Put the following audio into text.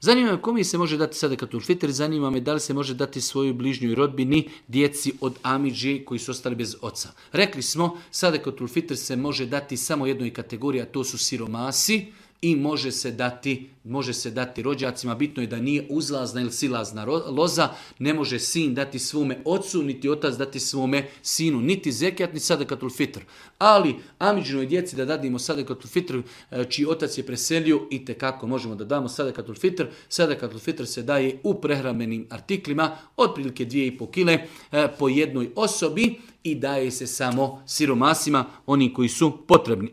Zanima me kome se može dati sadakatul fitr, zanima me da li se može dati svojoj bližnjoj rodbini, djeci od amidže koji su ostali bez oca. Rekli smo, sadakatul fitr se može dati samo jednoj kategoriji, a to su siromasi, i može se dati rođacima. Bitno je da nije uzlazna ili silazna loza. Ne može sin dati svome ocu, niti otac dati svome sinu, niti zekijat, ni sadakatul fitr. Ali amidžinoj djeci da dadimo sadakatul fitr, čiji otac je preselio, i tekako možemo da damo sadakatul fitr. Sadakatul fitr se daje u prehrambenim artiklima, otprilike 2,5 kile po jednoj osobi, i daje se samo siromasima, oni koji su potrebni.